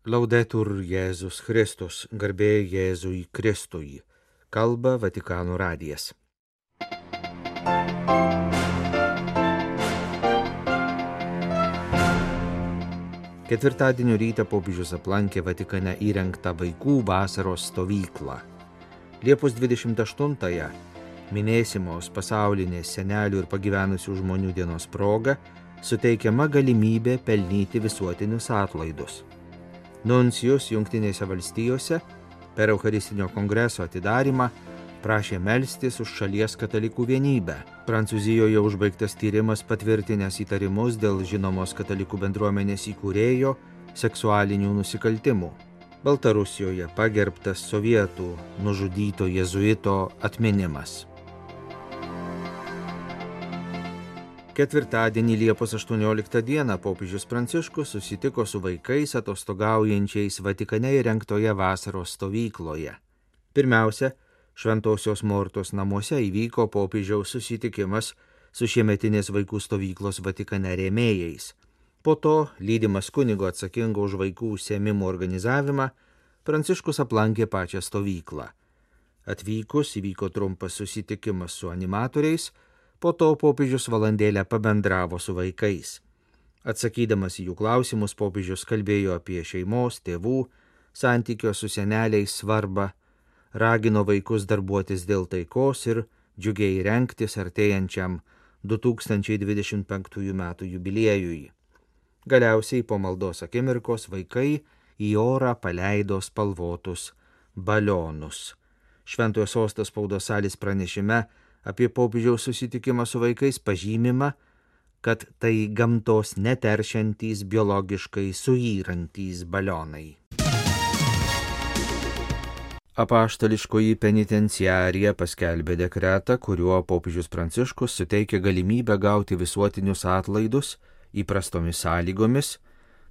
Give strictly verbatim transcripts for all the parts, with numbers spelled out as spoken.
Laudetur Jėzus Kristus, garbė Jėzui Kristui, kalba Vatikano radijas. Ketvirtadienio rytą popiežius aplankė Vatikane įrengtą vaikų vasaros stovyklą. Liepos dvidešimt aštuntąją minėsimos pasaulinės senelių ir pagyvenusių žmonių dienos proga suteikiama galimybė pelnyti visuotinius atlaidus. Nuncijus Jungtinėse valstijose per Eucharistinio kongreso atidarymą prašė melstis už šalies katalikų vienybę. Prancūzijoje užbaigtas tyrimas patvirtinęs įtarimus dėl žinomos katalikų bendruomenės įkūrėjo seksualinių nusikaltimų. Baltarusijoje pagerbtas sovietų nužudyto jėzuito atminimas. Ketvirtadienį Liepos aštuonioliktą dieną popiežius Pranciškus susitiko su vaikais atostogaujančiais Vatikane įrengtoje vasaros stovykloje. Pirmiausia, Šventosios Mortos namuose įvyko popiežiaus susitikimas su šiemetinės vaikų stovyklos Vatikane rėmėjais. Po to, lydimas kunigo atsakingo už vaikų užsiėmimų organizavimą, Pranciškus aplankė pačią stovyklą. Atvykus įvyko trumpas susitikimas su animatoriais, po to popiežius valandėlę pabendravo su vaikais. Atsakydamas į jų klausimus, popiežius kalbėjo apie šeimos, tėvų, santykio su seneliais svarbą, ragino vaikus darbuotis dėl taikos ir džiugiai rengtis artėjančiam du tūkstančiai dvidešimt penktųjų metų jubiliejui. Galiausiai po maldos akimirkos vaikai į orą paleido spalvotus balionus. Šventojo Sosto spaudos salės pranešime apie popiežiaus susitikimą su vaikais pažymima, kad tai gamtos neteršiantys biologiškai suyrantys balionai. Apaštališkoji penitenciarija paskelbė dekretą, kuriuo popiežius Pranciškus suteikė galimybę gauti visuotinius atlaidus įprastomis sąlygomis,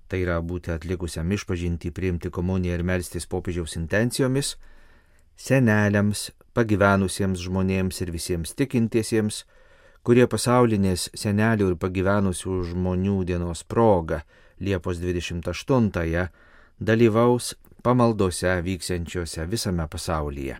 tai yra būti atlikusiam išpažintį, priimti komuniją ir melstis popiežiaus intencijomis, seneliams, pagyvenusiems žmonėms ir visiems tikintiesiems, kurie pasaulinės senelių ir pagyvenusių žmonių dienos proga Liepos dvidešimt aštuntąją dalyvaus pamaldose vyksiančiose visame pasaulyje.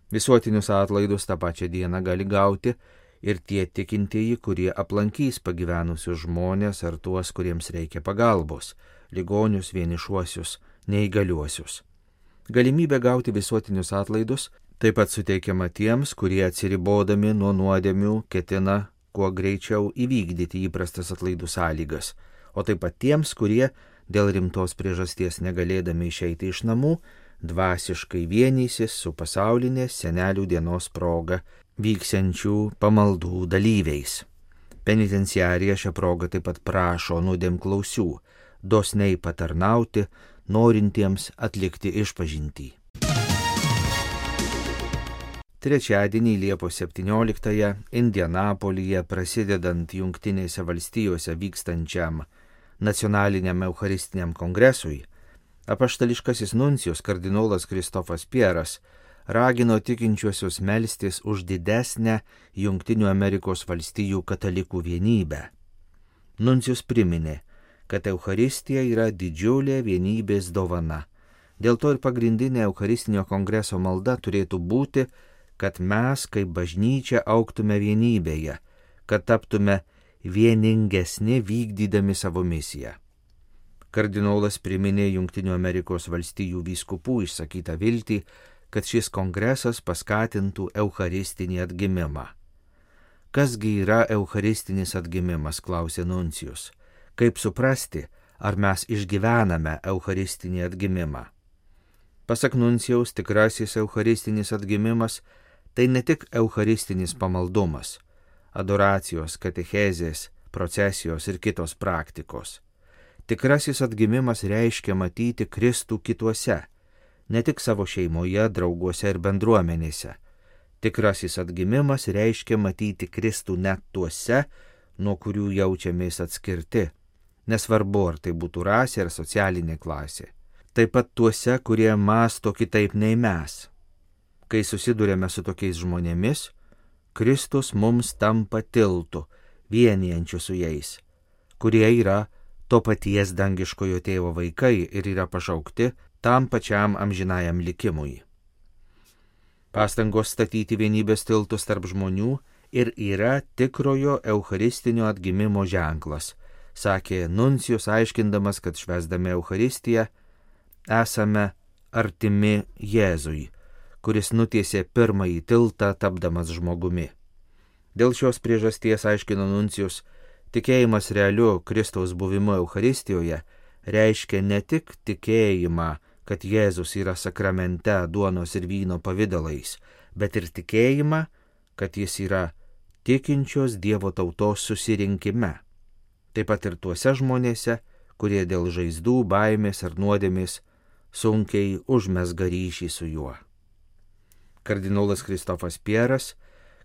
Visuotinius atlaidus tą pačią dieną gali gauti ir tie tikintieji, kurie aplankys pagyvenusius žmonės ar tuos, kuriems reikia pagalbos, ligonius, vienišuosius, neįgaliuosius. Galimybė gauti visuotinius atlaidus taip pat suteikiama tiems, kurie atsiribodami nuo nuodėmių ketina kuo greičiau įvykdyti įprastas atlaidų sąlygas, o taip pat tiems, kurie dėl rimtos priežasties negalėdami išeiti iš namų, dvasiškai vienysis su pasaulinės senelių dienos proga vyksiančių pamaldų dalyviais. Penitenciarija šią progą taip pat prašo nuodėmklausių dosniai patarnauti, norintiems atlikti išpažintį. Trečiadienį Liepos septynioliktąją Indianapolyje prasidedant Jungtinėse valstijose vykstančiam nacionaliniam Eucharistiniam kongresui, apaštališkasis nuncijus kardinolas Kristofas Pieras ragino tikinčiuosius melstis už didesnę Jungtinių Amerikos valstijų katalikų vienybę. Nuncijus priminė, kad Eucharistija yra didžiulė vienybės dovana. Dėl to ir pagrindinė Eucharistinio kongreso malda turėtų būti, kad mes kaip bažnyčia augtume vienybėje, kad taptume vieningesni vykdydami savo misiją. Kardinolas priminė Jungtinių Amerikos valstijų vyskupų išsakytą viltį, kad šis kongresas paskatintų eucharistinį atgimimą. Kasgi yra eucharistinis atgimimas, klausė nuncijus. Kaip suprasti, ar mes išgyvename eucharistinį atgimimą? Pasak nuncijaus, tikrasis eucharistinis atgimimas tai ne tik eucharistinis pamaldumas, adoracijos, katechezės, procesijos ir kitos praktikos. Tikrasis atgimimas reiškia matyti Kristų kituose, ne tik savo šeimoje, drauguose ir bendruomenėse. Tikrasis atgimimas reiškia matyti Kristų net tuose, nuo kurių jaučiamės atskirti, nesvarbu ar tai būtų rasė ar socialinė klasė. Taip pat tuose, kurie mąsto kitaip nei mes. Kai susidurėme su tokiais žmonėmis, Kristus mums tampa tiltu, vienijančiu su jais, kurie yra to paties dangiškojo tėvo vaikai ir yra pašaukti tam pačiam amžinajam likimui. Pastangos statyti vienybės tiltus tarp žmonių ir yra tikrojo eucharistinio atgimimo ženklas, sakė nuncijus, aiškindamas, kad švęsdami Eucharistiją esame artimi Jėzui, kuris nutiesė pirmąjį tiltą tapdamas žmogumi. Dėl šios priežasties, aiškino nuncijus, tikėjimas realiu Kristaus buvimu Eucharistijoje reiškia ne tik tikėjimą, kad Jėzus yra sakramente duonos ir vyno pavidalais, bet ir tikėjimą, kad jis yra tikinčios Dievo tautos susirinkime. Taip pat ir tuose žmonėse, kurie dėl žaizdų, baimės ar nuodėmės sunkiai užmesga ryšį su juo. Kardinolas Kristofas Pieras,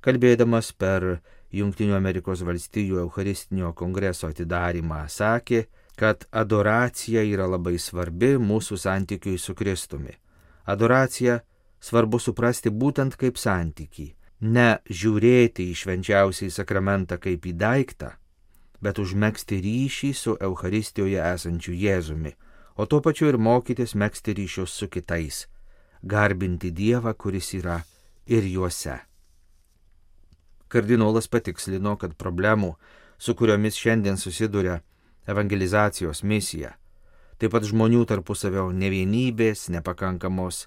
kalbėdamas per Jungtinių Amerikos valstijų Eucharistinio kongreso atidarymą, sakė, kad adoracija yra labai svarbi mūsų santykiui su Kristumi. Adoraciją svarbu suprasti būtent kaip santykį, ne žiūrėti į švenčiausiąjį sakramentą kaip į daiktą, bet užmegzti ryšį su Eucharistijoje esančiu Jėzumi, o tuo pačiu ir mokytis megzti ryšius su kitais, garbinti Dievą, kuris yra ir juose. Kardinolas patikslino, kad problemų, su kuriomis šiandien susiduria evangelizacijos misija, taip pat žmonių tarpusavio nevienybės, nepakankamos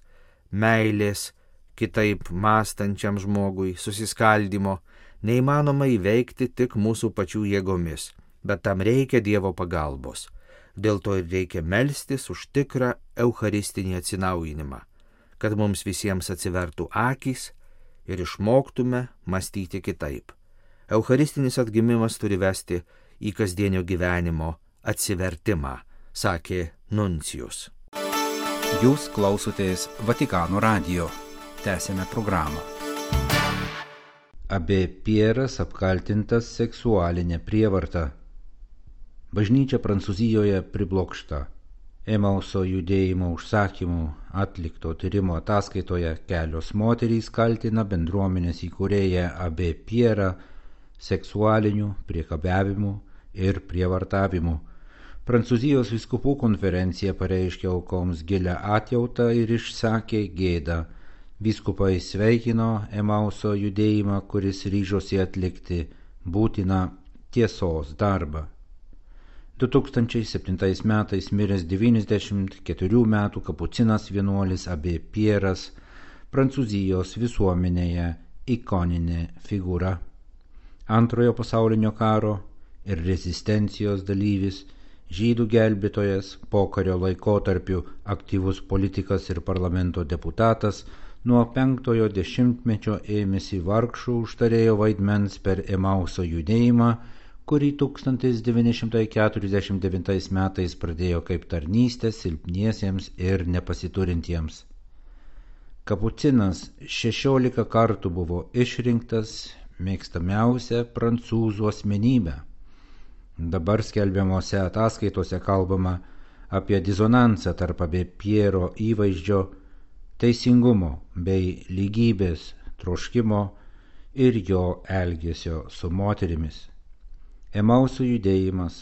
meilės, kitaip mąstančiam žmogui, susiskaldimo, neįmanoma įveikti tik mūsų pačių jėgomis, bet tam reikia Dievo pagalbos. Dėl to ir reikia melstis už tikrą eucharistinį atsinaujinimą, kad mums visiems atsivertų akys ir išmoktume mąstyti kitaip. Eucharistinis atgimimas turi vesti į kasdienio gyvenimo atsivertimą, sakė nuncijus. Jūs klausotės Vatikano radijo. Tęsėme programą. Abė Pieras apkaltintas seksualinė prievarta. Bažnyčia Prancūzijoje priblokšta. Emauso judėjimo užsakymų atlikto tyrimo ataskaitoje kelios moterys kaltina bendruomenės įkūrėją Abė Pierą seksualiniu priekabiavimu ir prievartavimu. Prancūzijos vyskupų konferencija pareiškė aukoms gilią atjautą ir išsakė gėdą. Vyskupai sveikino Emauso judėjimą, kuris ryžosi atlikti būtiną tiesos darbą. du tūkstančiai septintais metais miręs devyniasdešimt keturių metų kapucinas vienuolis Abė Pieras, Prancūzijos visuomenėje ikoninė figūra. Antrojo pasaulinio karo ir rezistencijos dalyvis, žydų gelbėtojas, pokario laikotarpiu aktyvus politikas ir parlamento deputatas, nuo penktojo dešimtmečio ėmėsi vargšų užtarėjo vaidmens per Emauso judėjimą, kurį tūkstantis devyni šimtai keturiasdešimt devintais metais pradėjo kaip tarnystę silpniesiems ir nepasiturintiems. Kapucinas šešiolika kartų buvo išrinktas mėgstamiausia prancūzų asmenybė. Dabar skelbiamose ataskaitose kalbama apie disonansą tarp Abė Piero įvaizdžio, teisingumo bei lygybės troškimo ir jo elgesio su moterimis. Emauso judėjimas,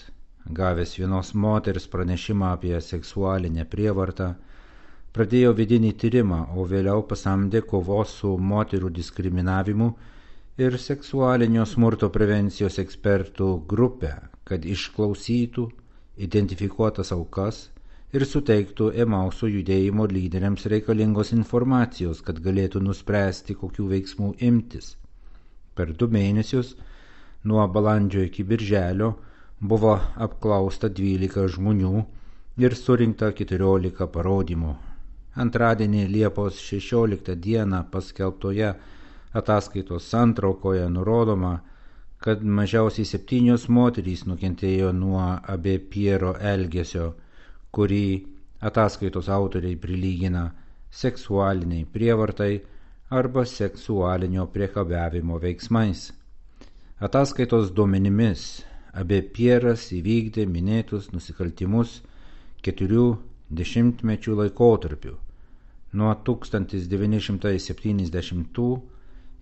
gavęs vienos moters pranešimą apie seksualinę prievartą, pradėjo vidinį tyrimą, o vėliau pasamdė kovos su moterų diskriminavimu ir seksualinio smurto prevencijos ekspertų grupę, kad išklausytų identifikuotas aukas ir suteiktų Emauso judėjimo lyderiams reikalingos informacijos, kad galėtų nuspręsti, kokių veiksmų imtis. Per du mėnesius, nuo balandžio iki birželio, buvo apklausta dvylika žmonių ir surinkta keturiolika parodymų. Antradienį Liepos šešioliktą dieną paskelbtoje ataskaitos santraukoje nurodoma, kad mažiausiai septynios moterys nukentėjo nuo Abė Piero elgesio, kurį ataskaitos autoriai prilygina seksualiniai prievartai arba seksualinio priekabiavimo veiksmais. Ataskaitos duomenimis Abė Pieras įvykdė minėtus nusikaltimus keturių dešimtmečių laikotarpiu, nuo tūkstantis devyni šimtai septyniasdešimtų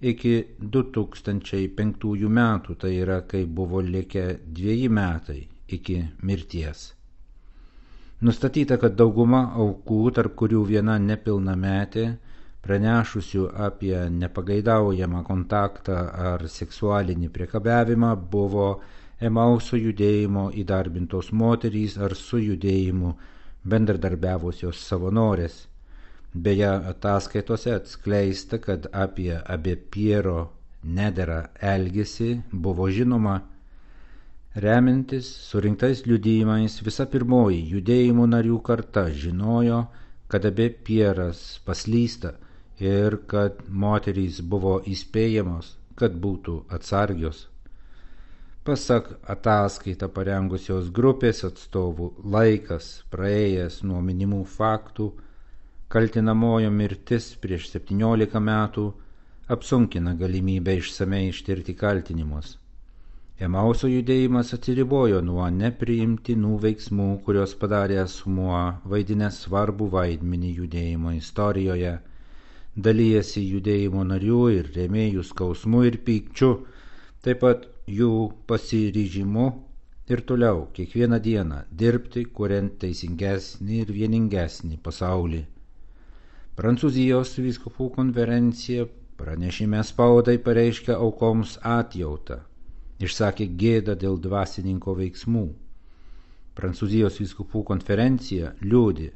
iki du tūkstančiai penktųjų metų, tai yra, kai buvo likę dveji metai iki mirties. Nustatyta, kad dauguma aukų, tarp kurių viena nepilnametė, pranešusių apie nepageidaujamą kontaktą ar seksualinį priekabiavimą, buvo Emauso judėjimo įdarbintos moterys ar su judėjimu bendradarbiavusios savanorės. Beje, ataskaitose atskleista, kad apie Abė Piero nederą elgesį buvo žinoma. Remiantis surinktais liudijimais, visa pirmoji judėjimo narių karta žinojo, kad Abė Pieras paslysta ir kad moterys buvo įspėjamos, kad būtų atsargios. Pasak ataskaitą parengusios grupės atstovų, laikas praėjęs nuo minimų faktų, kaltinamojo mirtis prieš septyniolika metų apsunkina galimybę išsamei ištirti kaltinimus. Emauso judėjimas atsiribojo nuo nepriimtinų veiksmų, kurios padarė asmuo vaidinęs svarbų vaidmenį judėjimo istorijoje, dalijasi judėjimo narių ir rėmėjų skausmu ir pykčiu, taip pat jų pasiryžimu ir toliau kiekvieną dieną dirbti, kuriant teisingesnį ir vieningesnį pasaulį. Prancūzijos vyskupų konferencija pranešime spaudai pareiškė aukoms atjautą, išsakė gėdą dėl dvasininko veiksmų. Prancūzijos vyskupų konferencija liūdi,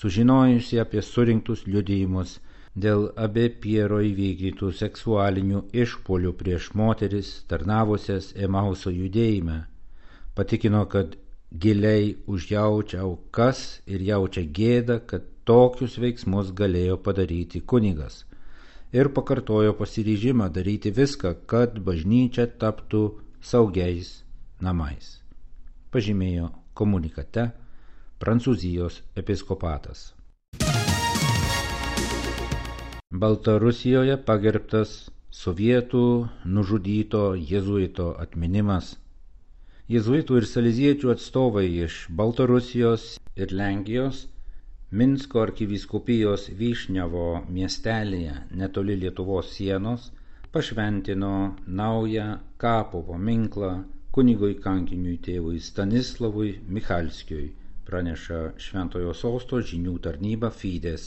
sužinojusi apie surinktus liudijimus dėl Abė Piero įvykdytų seksualinių išpuolių prieš moteris tarnavusias Emauso judėjime, patikino, kad giliai užjaučia aukas ir jaučia gėdą, kad tokius veiksmus galėjo padaryti kunigas, ir pakartojo pasiryžimą daryti viską, kad bažnyčia taptų saugiais namais, pažymėjo komunikate Prancūzijos episkopatas. Baltarusijoje pagerbtas sovietų nužudyto jėzuito atminimas. Jėzuitų ir saleziečių atstovai iš Baltarusijos ir Lenkijos Minsko arkivyskupijos Vyšnevo miestelėje netoli Lietuvos sienos pašventino naują kapo paminklą kunigui kankiniui tėvui Stanislavui Michalskiui, praneša Šventojo Sosto žinių tarnyba Fides.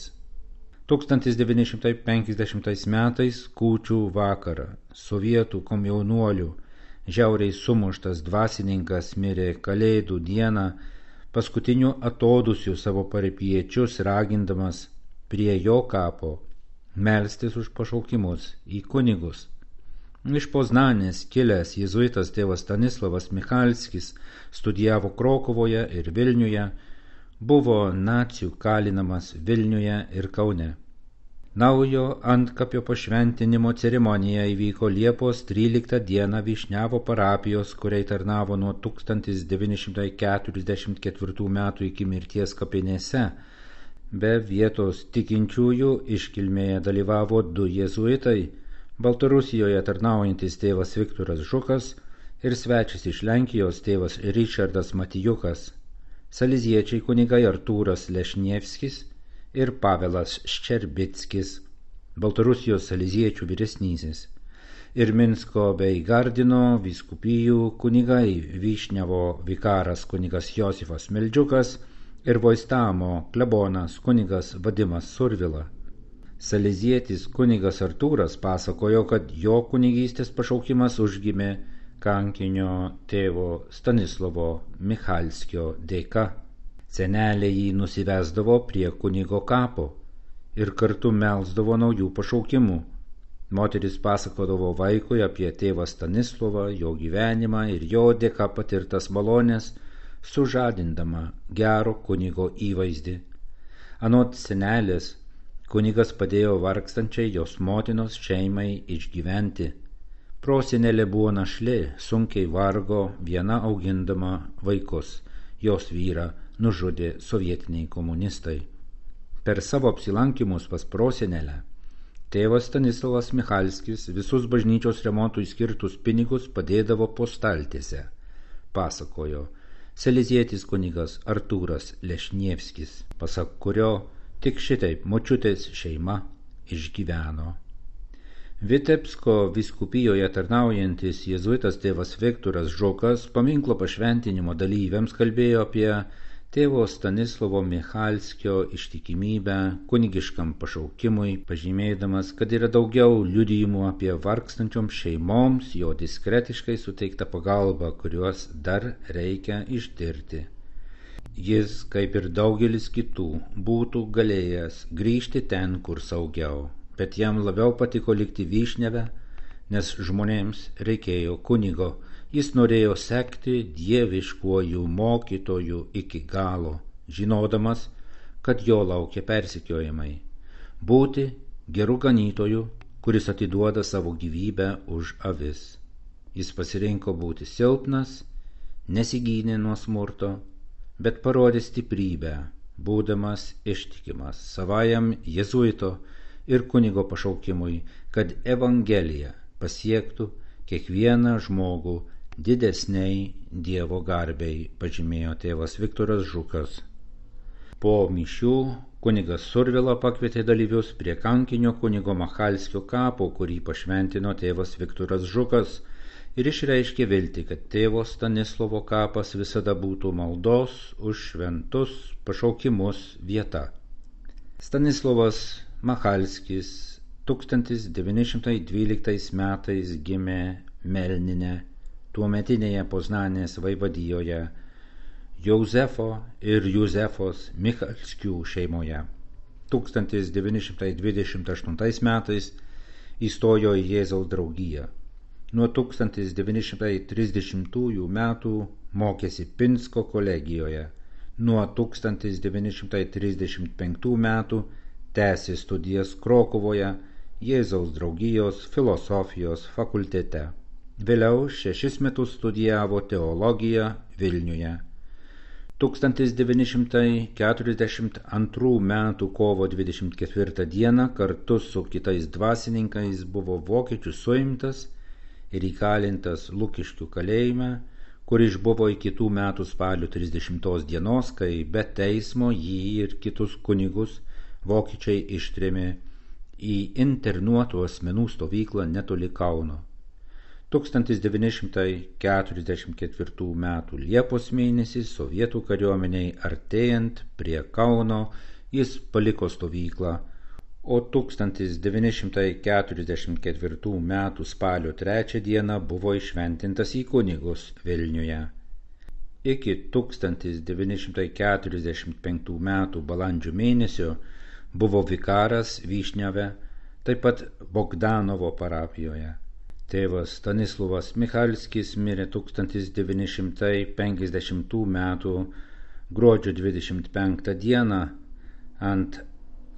tūkstantis devyni šimtai penkiasdešimtais metais kūčių vakarą sovietų komjaunuolių žiauriai sumuštas dvasininkas mirė Kalėdų dieną paskutiniu atodūsiu savo parapijiečius ragindamas prie jo kapo melstis už pašaukimus į kunigus. Iš Poznanės kilęs jėzuitas tėvas Stanislavas Michalskis studijavo Krokuvoje ir Vilniuje, buvo nacių kalinamas Vilniuje ir Kaune. Naujo antkapio pašventinimo ceremonija įvyko Liepos tryliktą dieną Vyšnevo parapijos, kuriai tarnavo nuo tūkstantis devyni šimtai keturiasdešimt ketvirtų metų iki mirties kapinėse. Be vietos tikinčiųjų iškilmėje dalyvavo du jėzuitai, Baltarusijoje tarnaujantis tėvas Viktoras Žukas ir svečias iš Lenkijos tėvas Ričardas Matijukas, saleziečiai kunigai Artūras Lešnievskis ir Pavelas Ščerbickis, Baltarusijos saleziečių vyresnysis, ir Minsko bei Gardino vyskupijų kunigai Vyšnevo vikaras kunigas Josifas Meldžiukas ir Voistamo klebonas kunigas Vadimas Survila. Salezietis kunigas Artūras pasakojo, kad jo kunigystės pašaukimas užgimė kankinio tėvo Stanislavo Michalskio dėka. Senelė jį nusivesdavo prie kunigo kapo ir kartu melsdavo naujų pašaukimų. Moteris pasakodavo vaikui apie tėvą Stanislovą, jo gyvenimą ir jo dėka patirtas malonės, sužadindama gero kunigo įvaizdį. Anot senelės, kunigas padėjo vargstančiai jos motinos šeimai išgyventi. Prosenelė buvo našlė, sunkiai vargo, viena augindama vaikus. Jos vyrą nužudė sovietiniai komunistai. Per savo apsilankimus pas prosenelę, tėvas Stanislavas Michalskis visus bažnyčios remontui skirtus pinigus padėdavo po staltiese, pasakojo salezietis kunigas Artūras Lešnievskis, pasak kurio tik šitaip močiutės šeima išgyveno. Vitebsko vyskupijoje tarnaujantis jėzuitas tėvas Viktoras Žukas paminklo pašventinimo dalyviams kalbėjo apie tėvo Stanislovo Michalskio ištikimybę kunigiškam pašaukimui, pažymėdamas, kad yra daugiau liudijimų apie vargstančioms šeimoms jo diskretiškai suteiktą pagalbą, kuriuos dar reikia ištirti. Jis, kaip ir daugelis kitų, būtų galėjęs grįžti ten, kur saugiau, bet jam labiau patiko likti Vyšneve, nes žmonėms reikėjo kunigo. Jis norėjo sekti dieviškuoju mokytoju iki galo, žinodamas, kad jo laukia persekiojimai. Būti geru ganytoju, kuris atiduoda savo gyvybę už avis. Jis pasirinko būti silpnas, nesigynė nuo smurto, bet parodė stiprybę, būdamas ištikimas savajam jėzuito ir kunigo pašaukimui, kad Evangelija pasiektų kiekvieną žmogų didesniai Dievo garbei, pažymėjo tėvas Viktoras Žukas. Po mišių kunigas Survila pakvietė dalyvius prie kankinio kunigo Machalskio kapo, kurį pašventino tėvas Viktoras Žukas, ir išreiškė viltį, kad tėvo Stanislovo kapas visada būtų maldos už šventus pašaukimus vieta. Stanislovas Machalskis tūkstantis devyni šimtai dvyliktais metais gimė Melnine, tuometinėje Poznanės vaivadijoje, Jozefo ir Juzefos Michalskių šeimoje. tūkstantis devyni šimtai dvidešimt aštuntais metais įstojo į Jėzaus draugiją. Nuo tūkstantis devyni šimtai trisdešimtųjų metų mokėsi Pinsko kolegijoje. Nuo tūkstantis devyni šimtai trisdešimt penktų metų tęsė studijas Krokuvoje Jėzaus draugijos filosofijos fakultete. Vėliau šešis metus studijavo teologiją Vilniuje. tūkstantis devyni šimtai keturiasdešimt antrų metų kovo dvidešimt ketvirtą dieną kartu su kitais dvasininkais buvo vokiečių suimtas ir įkalintas Lukiškių kalėjime, kur išbuvo iki kitų metų spalio trisdešimtos dienos, kai be teismo jį ir kitus kunigus vokiečiai ištrėmė į internuotų asmenų stovyklą netoli Kauno. tūkstantis devyni šimtai keturiasdešimt ketvirtų metų Liepos mėnesį sovietų kariuomeniai artėjant prie Kauno jis paliko stovyklą, o tūkstantis devyni šimtai keturiasdešimt ketvirtų metų spalio trečią dieną buvo įšventintas į kunigus Vilniuje. Iki tūkstantis devyni šimtai keturiasdešimt penktų metų balandžio mėnesio buvo vikaras Vyšneve, taip pat Bogdanovo parapijoje. Tėvas Stanislovas Michalskis mirė tūkstantis devyni šimtai penkiasdešimtų metų gruodžio dvidešimt penktą dieną. Ant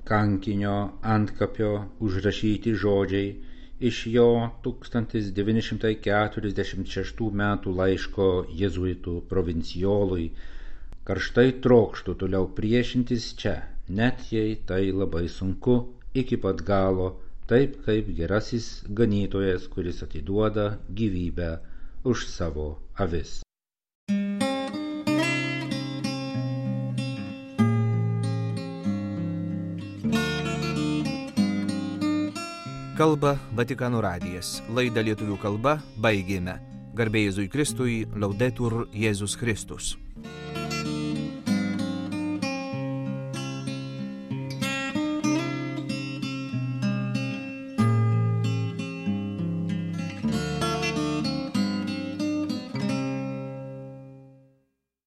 kankinio antkapio užrašyti žodžiai iš jo tūkstantis devyni šimtai keturiasdešimt šeštų metų laiško jėzuitų provincijolui: karštai trokštu toliau priešintis čia, net jei tai labai sunku, iki pat galo, taip kaip gerasis ganytojas, kuris atiduoda gyvybę už savo avis. Kalba Vatikano radijas. Laidą lietuvių kalba baigėme. Garbė Jėzui Kristui, Laudetur Jėzus Kristus.